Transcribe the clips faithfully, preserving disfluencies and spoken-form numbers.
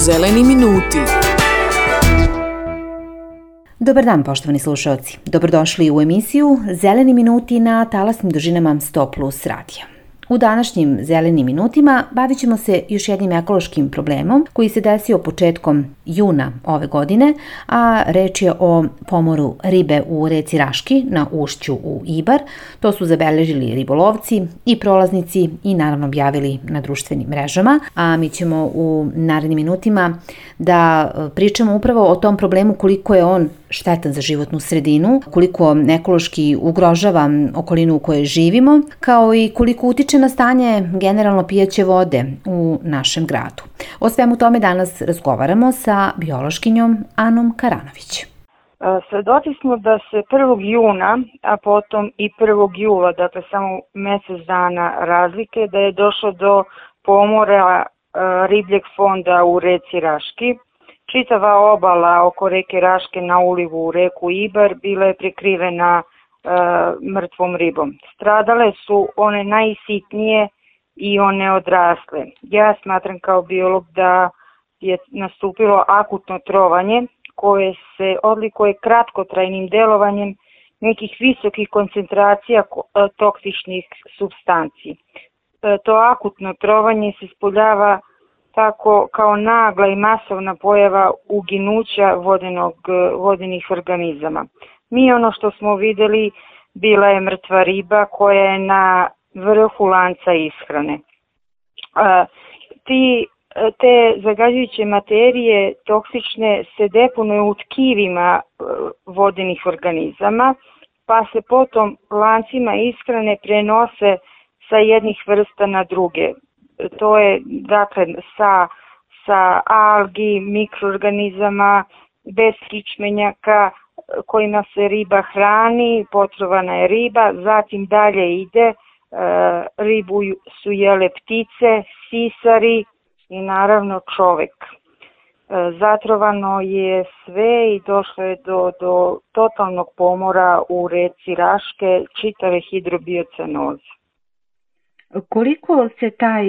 Zeleni minuti. Dobar dan, poštovani slušaoci. Dobrodošli u emisiju Zeleni minuti na talasnim dužinama sto plus radija. U današnjim Zelenim minutima bavit ćemo se još jednim ekološkim problemom koji se desio početkom juna ove godine, a reč je o pomoru ribe u reci Raški na ušću u Ibar. To su zabeležili ribolovci i prolaznici i naravno objavili na društvenim mrežama, a mi ćemo u narednim minutima da pričamo upravo o tom problemu, koliko je on štetan za životnu sredinu, koliko ekološki ugrožava okolinu u kojoj živimo, kao i koliko utiče na stanje generalno pijaće vode u našem gradu. O svemu tome danas razgovaramo sa biološkinjom Anom Karanović. Svedoci smo da se prvog juna, a potom i prvog jula, dakle samo mesec dana razlike, da je došlo do pomora ribljeg fonda u reci Raški. Čitava obala oko reke Raške na ulivu u reku Ibar bila je prekrivena e, mrtvom ribom. Stradale su one najsitnije i one odrasle. Ja smatram kao biolog da je nastupilo akutno trovanje koje se odlikuje kratkotrajnim delovanjem nekih visokih koncentracija toksičnih supstanci. E, to akutno trovanje se ispoljava tako kao nagla i masovna pojava uginuća vodenog, vodenih organizama. Mi ono što smo videli bila je mrtva riba koja je na vrhu lanca ishrane. A, ti, te zagađujuće materije toksične se deponuju u tkivima vodenih organizama, pa se potom lancima ishrane prenose sa jednih vrsta na druge. To je dakle sa, sa algi, mikroorganizama, beskičmenjaka kojima se riba hrani, potrovana je riba, zatim dalje ide, e, ribu su jele ptice, sisari i naravno čovek. E, zatrovano je sve i došlo je do, do totalnog pomora u reci Raške, čitave hidrobiocenoze. Koliko se taj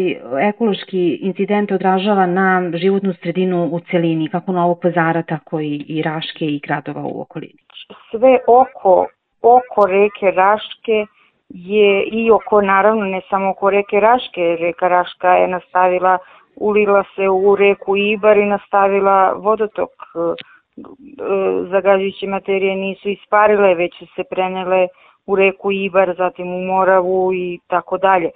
ekološki incident odražava na životnu sredinu u celini, kako Novog Pazara, tako i, i Raške i gradova u okolini? Sve oko, oko reke Raške je i oko, naravno ne samo oko reke Raške, reka Raška je nastavila, ulila se u reku Ibar i nastavila vodotok. Zagađujuće materije nisu isparile, već su se prenele u reku Ibar, zatim u Moravu i tako dalje.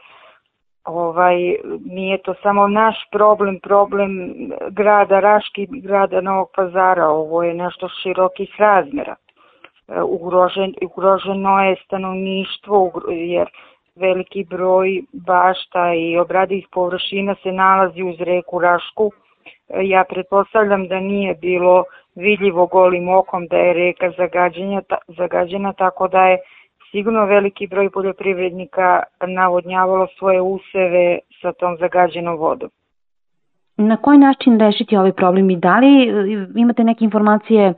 Ovaj, nije to samo naš problem, problem grada Raški, grada Novog Pazara, ovo je nešto širokih razmera. Ugrožen, ugroženo je stanovništvo jer veliki broj bašta i obradivih površina se nalazi uz reku Rašku. Ja pretpostavljam da nije bilo vidljivo golim okom da je reka zagađena, zagađena, tako da je sigurno veliki broj poljoprivrednika navodnjavalo svoje useve sa tom zagađenom vodom. Na koji način rešiti ovaj problem i da li imate neke informacije,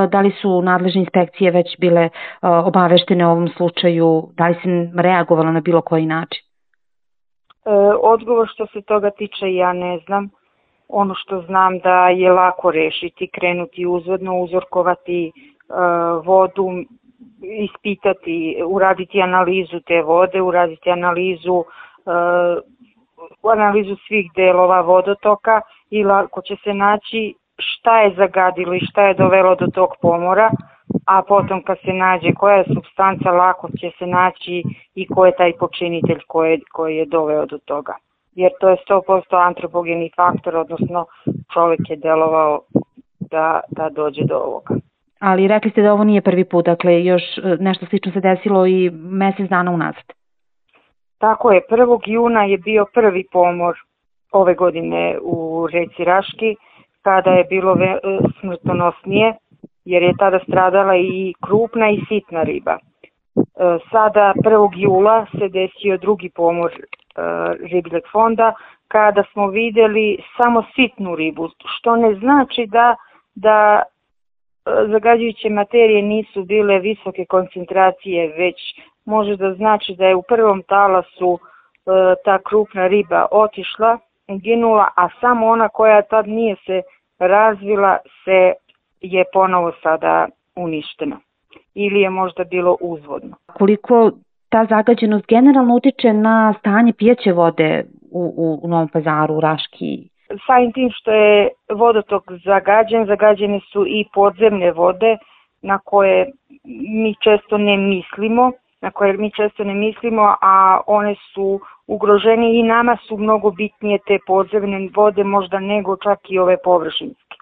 da li su nadležne inspekcije već bile obaveštene o ovom slučaju, da li se reagovalo na bilo koji način? E, odgovor što se toga tiče ja ne znam. Ono što znam da je lako rešiti, krenuti uzvodno, uzorkovati e, vodu, ispitati, uraditi analizu te vode, uraditi analizu uh, analizu svih delova vodotoka i lako će se naći šta je zagadilo i šta je dovelo do tog pomora, a potom kad se nađe koja je supstanca, lako će se naći i ko je taj počinitelj koji, koji je doveo do toga. Jer to je sto posto antropogeni faktor, odnosno čovjek je delovao da, da dođe do ovoga. Ali rekli ste da ovo nije prvi put, dakle još nešto slično se desilo i mesec dana unazad. Tako je, prvog juna je bio prvi pomor ove godine u reci Raški, kada je bilo smrtonosnije, jer je tada stradala i krupna i sitna riba. Sada prvog jula se desio drugi pomor ribljeg fonda, kada smo videli samo sitnu ribu, što ne znači da, da zagađujuće materije nisu bile visoke koncentracije, već može da znači da je u prvom talasu ta krupna riba otišla ginula, a samo ona koja tad nije se razvila se je ponovo sada uništena ili je možda bilo uzvodno. Koliko ta zagađenost generalno utiče na stanje pijeće vode u, u, u Novom Pazaru, u Raški? Samim tim što je vodotok zagađen, zagađene su i podzemne vode na koje mi često ne mislimo, na koje mi često ne mislimo, a one su ugrožene i nama su mnogo bitnije te podzemne vode možda nego čak i ove površinske.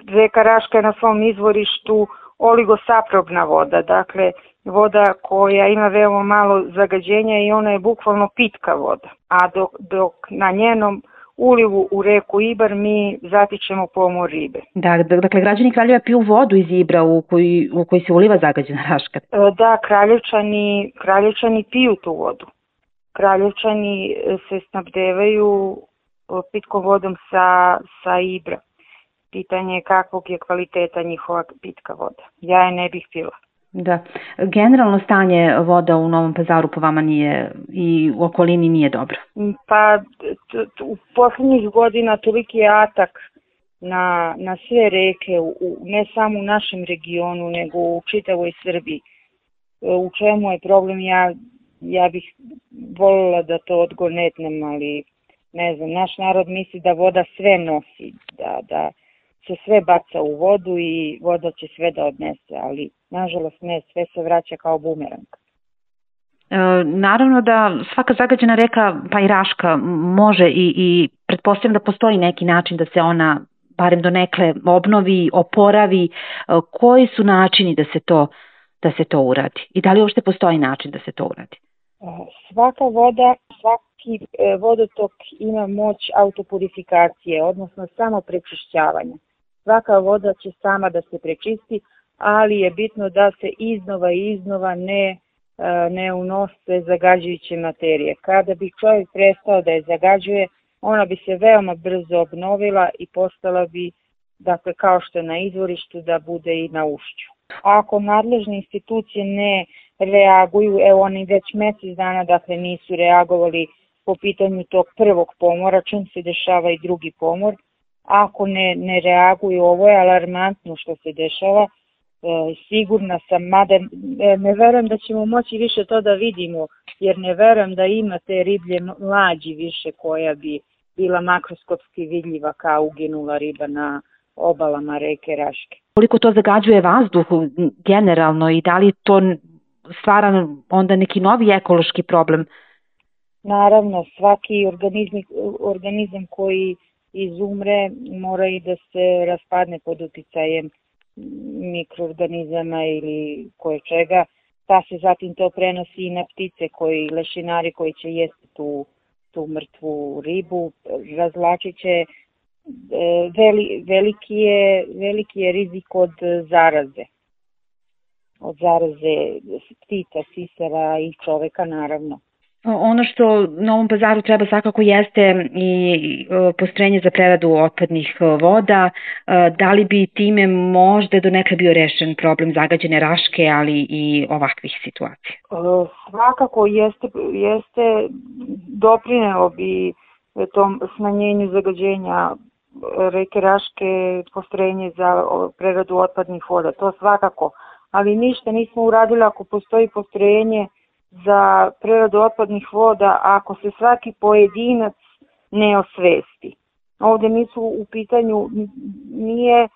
Reka Raška je na svom izvorištu oligosaprobna voda, dakle voda koja ima veoma malo zagađenja i ona je bukvalno pitka voda, a dok, dok na njenom ulivu u reku Ibar mi zatičemo pomor ribe. Da, dakle građani Kraljeva piju vodu iz Ibra u koji, u koji se uliva zagađena Raška. Da, Kraljevčani, Kraljevčani piju tu vodu. Kraljevčani se snabdevaju pitkom vodom sa, sa Ibra. Pitanje je kakvog je kvaliteta njihova pitka voda. Ja je ne bih pila. Da, generalno stanje voda u Novom Pazaru po vama nije i u okolini nije dobro. Pa t, t, u posljednjih godina toliki je atak na, na sve reke, u, ne samo u našem regionu, nego u čitavoj Srbiji. U čemu je problem? Ja, ja bih voljela da to odgonetnem, ali ne znam, naš narod misli da voda sve nosi, da, da se sve baca u vodu i voda će sve da odnese, ali nažalost ne, sve se vraća kao bumerang. E, naravno da svaka zagađena reka, pa i Raška, može i, i pretpostavljam da postoji neki način da se ona barem donekle obnovi, oporavi. E, koji su načini da se to, da se to uradi? I da li uopšte postoji način da se to uradi? Svaka voda, svaki vodotok ima moć autopurifikacije, odnosno samo prečišćavanja. Svaka voda će sama da se prečisti, ali je bitno da se iznova i iznova ne, ne unose zagađujuće materije. Kada bi čovjek prestao da je zagađuje, ona bi se veoma brzo obnovila i postala bi, dakle, kao što je na izvorištu, da bude i na ušću. Ako nadležne institucije ne reaguju, evo oni već mjesec dana, dakle, nisu reagovali po pitanju tog prvog pomora, čim se dešava i drugi pomor. Ako ne, ne reaguju, ovo je alarmantno što se dešava, e, sigurna sam, mada e, ne verujem da ćemo moći više to da vidimo, jer ne verujem da ima te riblje mlađi više koja bi bila makroskopski vidljiva kao uginula riba na obalama reke Raške. Koliko to zagađuje vazduh generalno i da li to stvara onda neki novi ekološki problem? Naravno, svaki organizam, organizam koji izumre mora i da se raspadne pod uticajem mikroorganizama ili koje čega, pa se zatim to prenosi i na ptice, koji, lešinari koji će jesti tu, tu mrtvu ribu, razvlačit će. Veli, veliki, je, veliki je rizik od zaraze, od zaraze ptica, sisara i čoveka naravno. Ono što Novom Pazaru treba svakako jeste i postrojenje za preradu otpadnih voda. Da li bi time možda donekle bio rešen problem zagađene Raške, ali i ovakvih situacija? Svakako jeste, jeste doprinelo bi tom smanjenju zagađenja reke Raške postrojenje za preradu otpadnih voda, to svakako, ali ništa nismo uradili ako postoji postrojenje za preradu otpadnih voda, ako se svaki pojedinac ne osvesti. Ovdje nisu u pitanju, nije,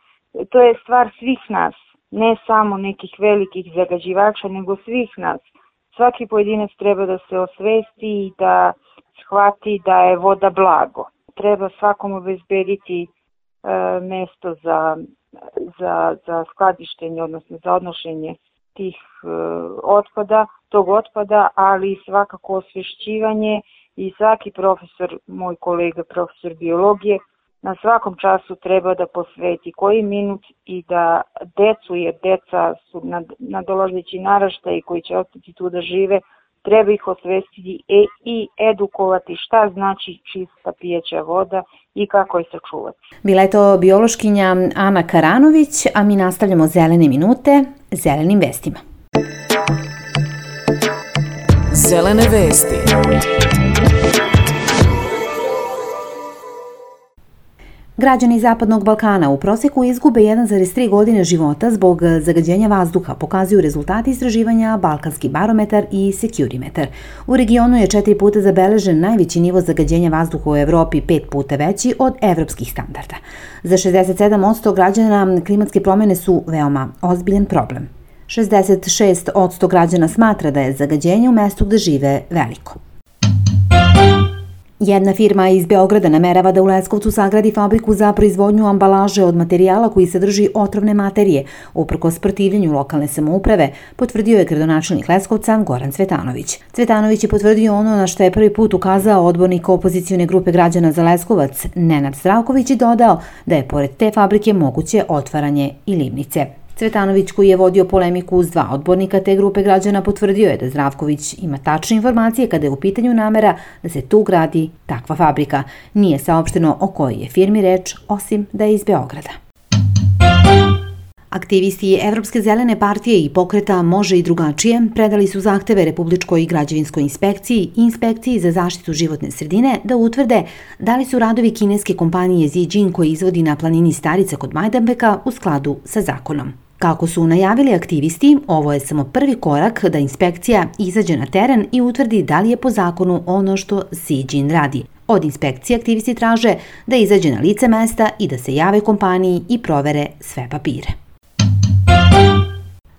to je stvar svih nas, ne samo nekih velikih zagađivača, nego svih nas. Svaki pojedinac treba da se osvesti i da shvati da je voda blago. Treba svakom obezbediti e, mesto za, za, za skladištenje, odnosno za odnošenje tih e, otpada, tog otpada, ali svakako osvješćivanje i svaki profesor, moj kolega profesor biologije, na svakom času treba da posveti koji minut i da decu, jer deca su nadolazeći naraštaji koji će ostati tu da žive, treba ih osvestiti i edukovati šta znači čista pijeća voda i kako je sačuvati. Bila je to biološkinja Ana Karanović, a mi nastavljamo zelene minute zelenim vestima. Zelene vesti. Građani Zapadnog Balkana u proseku izgube jedan zarez tri godine života zbog zagađenja vazduha, pokazuju rezultati istraživanja Balkanski barometar i Securimetar. U regionu je četiri puta zabeležen najveći nivo zagađenja vazduha u Evropi, pet puta veći od evropskih standarda. Za šezdeset sedam posto građana klimatske promjene su veoma ozbiljan problem. šezdeset šest posto građana smatra da je zagađenje u mestu gde žive veliko. Jedna firma iz Beograda namerava da u Leskovcu sagradi fabriku za proizvodnju ambalaže od materijala koji sadrži otrovne materije. Uprkos protivljenju lokalne samouprave, potvrdio je gradonačelnik Leskovca Goran Cvetanović. Cvetanović je potvrdio ono na što je prvi put ukazao odbornik opozicione grupe građana za Leskovac Nenad Zdravković i dodao da je pored te fabrike moguće otvaranje i livnice. Cvetanović, koji je vodio polemiku uz dva odbornika te grupe građana, potvrdio je da Zdravković ima tačne informacije kada je u pitanju namera da se tu gradi takva fabrika. Nije saopšteno o kojoj je firmi reč, osim da je iz Beograda. Aktivisti Evropske zelene partije i pokreta Može i drugačije predali su zahteve Republičkoj građevinskoj inspekciji i Inspekciji za zaštitu životne sredine da utvrde da li su radovi kineske kompanije Zijin koji izvodi na planini Starica kod Majdanpeka u skladu sa zakonom. Kako su najavili aktivisti, ovo je samo prvi korak da inspekcija izađe na teren i utvrdi da li je po zakonu ono što Zijin radi. Od inspekcije aktivisti traže da izađe na lice mesta i da se jave kompaniji i provere sve papire.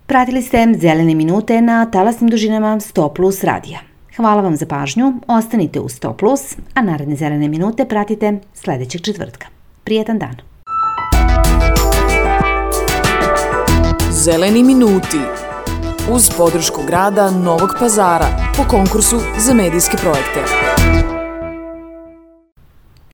Pratili ste Zelene minute na talasnim dužinama sto plus radija. Hvala vam za pažnju, ostanite u sto plus, a naredne Zelene minute pratite sledećeg četvrtka. Prijetan dan! Zeleni minuti uz podršku grada Novog Pazara po konkursu za medijske projekte.